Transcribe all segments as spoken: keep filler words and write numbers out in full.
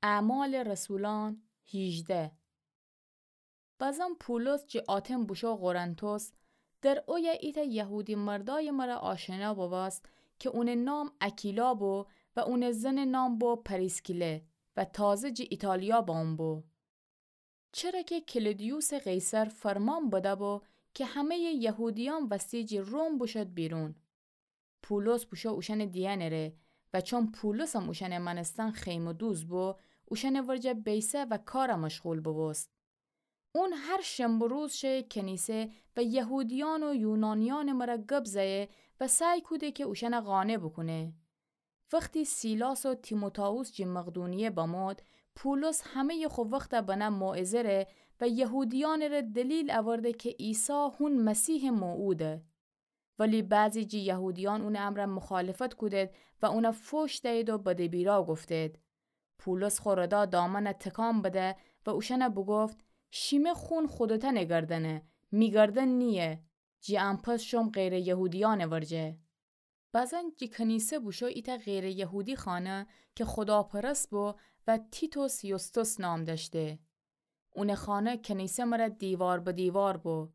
اعمال رسولان هیجده. بزن پولس جی آتن بوشو قرنتوس، در اویه ایتأ یهودی مردای مره آشنا بباست کی اونٚ نام اکیلا بو و اونٚ زنٚ نام بو پریسکیله و تازه جی ایتالیا بامو بو. چره کی کلودیوسٚ قیصر فرمان بده بو کی همه‌یٚ یهودیأن وستی جی روم بوشد بیرون. پولس بوشو اوشأنٚ دیهنٚ ره و چون پولسم اوشأنٚ مأنستن خیمه‌دوز بو، اوشأنٚ ورجه بیسه و کارٚ مشغول ببوست. اون هر شنبه روز شئه کنیسه و یهودیأن و یونانیأنٚ مره گب زئه و سعی کوده کی اوشأنه قانع بوکونه. وختی سیلاس و تیموتائوس جی مقدونیه بمود، پولس همه‌یٚ خو وخته بنه موعظه ره و یهودیأنٚ ره دلیل اورده کی عیسی هون مسیحٚ موعوده. ولی بعضی جی یهودیأن اونٚ امرأ مخالفت کودید و اونه فوش دئید و بد و بیرا گفتید. پولس خو ردا دامنه تکان بده و اوشأنه بوگفت: شیمه خون خودتأنٚ گردنه، می گردن نییه. جی ان‌پس شوم غیرٚ یهودیأنٚ ورجه. بزن جی کنیسه بوشو ایتأ غیرٚ یهودی خانه کی خوداپرست بو و تیتوس یوستوس نام دأشته. اونٚ خانه کنیسه مره دیوار به دیوار بو.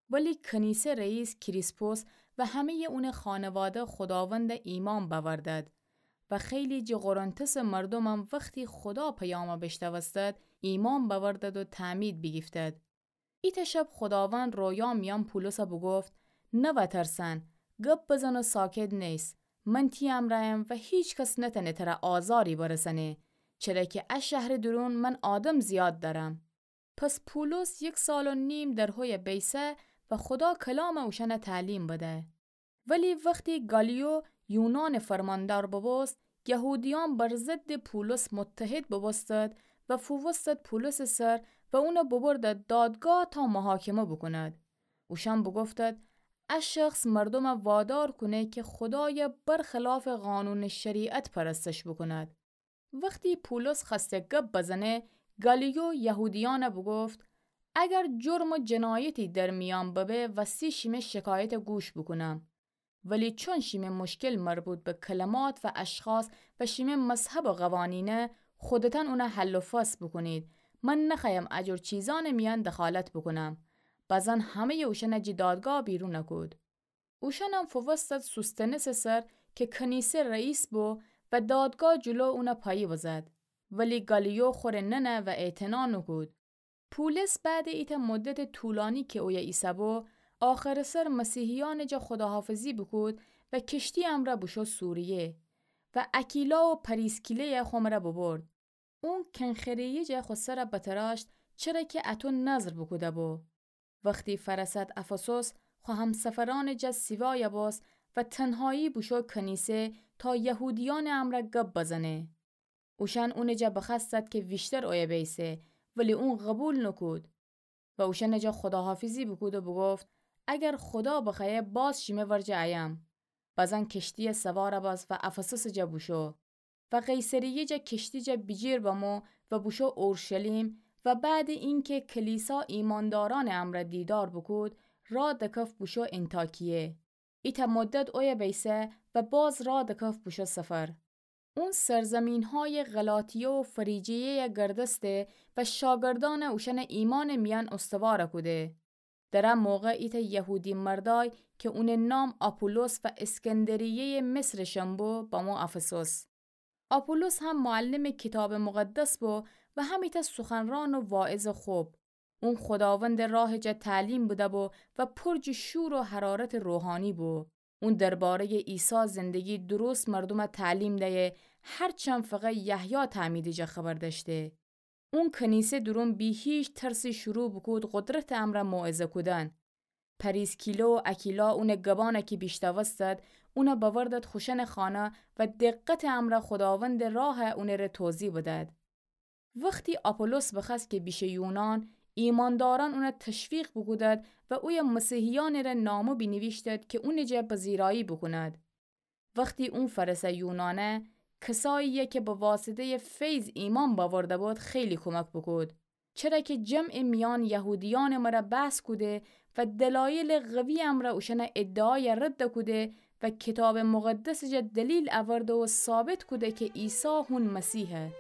ولی کنیسه رئیس کریسپوس و همه‌یٚ اونٚ خانواده خوداوند ایمأن بأوردد و خیلی جی قرنتسٚ مردومم وختی خودا پیامه بیشنوستد، ایمأن بأوردد و تعمید بیگیفتد. ایتأ شب خوداوند رویا میأن پولسه بوگفت: نوأ ترسن، گب بزن و ساکت نیس. من تی امرأیم و هیکس نتأنه تره آزاری برسأنه، چره کی ا شهرٚ دورون من آدم زیاد دأرم. پس پولس یک سال و نیم در هویه بیسه و خودا کلامه اوشأنه تعلیم بده. ولی وختی گالیو یونانٚ فرماندار ببوست، یهودیأن بر ضدٚ پولس متحد ببوستد و فووستد پولسٚ سر و اونه ببردد دادگاه تا محاکمه بوکوند. اوشأن بوگفتد: ا شخص مردومه وادار کونه کی خودایه برخلافٚ قانونٚ شریعت پرستش بوکوند. وختی پولس خوأسته گب بزنه، گالیو یهودیأنه بوگفت: اگر جرم و جنایتی در میأن ببه، وستی شیمه شکایته گوش بوکونم. ولی چون شیمه مشکل مربوط به کلمات و اشخاص و شیمه مذهب و قوانینه، خودتأن اونه حل و فصل بوکونید. من نخوأیم ا جور چیزأنٚ میأن دخالت بوکونم. بزن همه‌یٚ اوشأنه جی دادگاه بیرون کود. اوشأنم فووستد سوستنسٚ سر کی کنیسه رئیس بو و دادگاه جلو اونه پایی بزد. ولی گالیو خوره ننه و اعتنا نوکود. پولس بعدٚ ایتأ مدتٚ طولانی کی اویه ایسه‌بو، آخرٚ سر مسیحیأنٚ جا خداحافظی بوکود و کشتی امرأ بوشو سوریه و اکیلا و پریسکیله‌یه خو مره ببرد. اون کنخره‌یی جا خو سره بتراشت، چره کی اطو نذر بوکوده‌بو. وختی فرسد افسوس، خو همسفرأنٚ جا سیوایه بوست و تنهایی بوشو کنیسه تا یهودیأنٚ امرأ گب بزنه. اوشأن اونٚ جا بخوأستد کی ویشتر اویه بیسه، ولی اون قوبیل نوکود و اوشأنٚ جا خداحافظی بوکود و بوگفت: اگر خودا بخوأیه، باز شیمه ورجه ایم. بزن کشتیه سوار بس و افسوسٚ جا بوشو و قیصریه جا کشتی جا بیجیر بمو و بوشو اورشلیم و بعدٚ اینکی کلیسا ایماندارأنٚ امرأ دیدار بوکود، راه دکف بوشو انطاکیه. ایتأ مدت اویه بیسه و باز راه دکف بوشو سفر. اون سرزمینهای غلاطیه و فریجیه‌یه گردسته و شاگردأنه اوشأنه ایمانٚ میأن استوار کوده. در ا موقع ایتأ یهودی مردای کی اونٚ نام آپولوس و اسکندریه‌یٚ مصرٚ شنبو بمو افسوس. آپولوس هم معلمٚ کیتابٚ مقدس بو و هم ایتأ سخنران و واعظٚ خوب. اون خداوندٚ راهٚ جا تعلیم بده‌بو و پر جٚه شور و حرارتٚ روحانی بو. اون درباره‌یٚ عیسی زندگی درست مردومه تعلیم دیه، هرچند فقط یحیی تعمیدٚ جا خبر دأشته. اون کنیسه دورون بی هیچ ترسی شروع بوکود قدرتٚ امرأ موعظه کودن. پریسکیلا و اکیلا اونٚ گبأنه کی بیشنوستد، اونه بأوردد خوشأنٚ خانه و دقتٚ امرأ خداوندٚ راه اونٚ ره توضیح بدد. وختی آپولوس بخوأست کی بیشه یونان، ایماندارأن اونه تشویق بوکودد و اویه مسیحیأنٚ ره نامه بینیویشتد کی اونٚ جا پذیرایی بوکوند. وختی اون فرسه یونانه، کسایی‌یه کی به واسطه‌یٚ فیض ایمأن بأورده بود، خیلی کمک بوکود. چره کی جمعٚ میأن یهودیأنٚ مره بحث کوده و دلایلٚ قوی امرأ اوشأنٚ ادعای رد کوده و کیتابٚ مقدسٚ جا دلیل اورده و ثابت کوده کی عیسی هون مسیحه.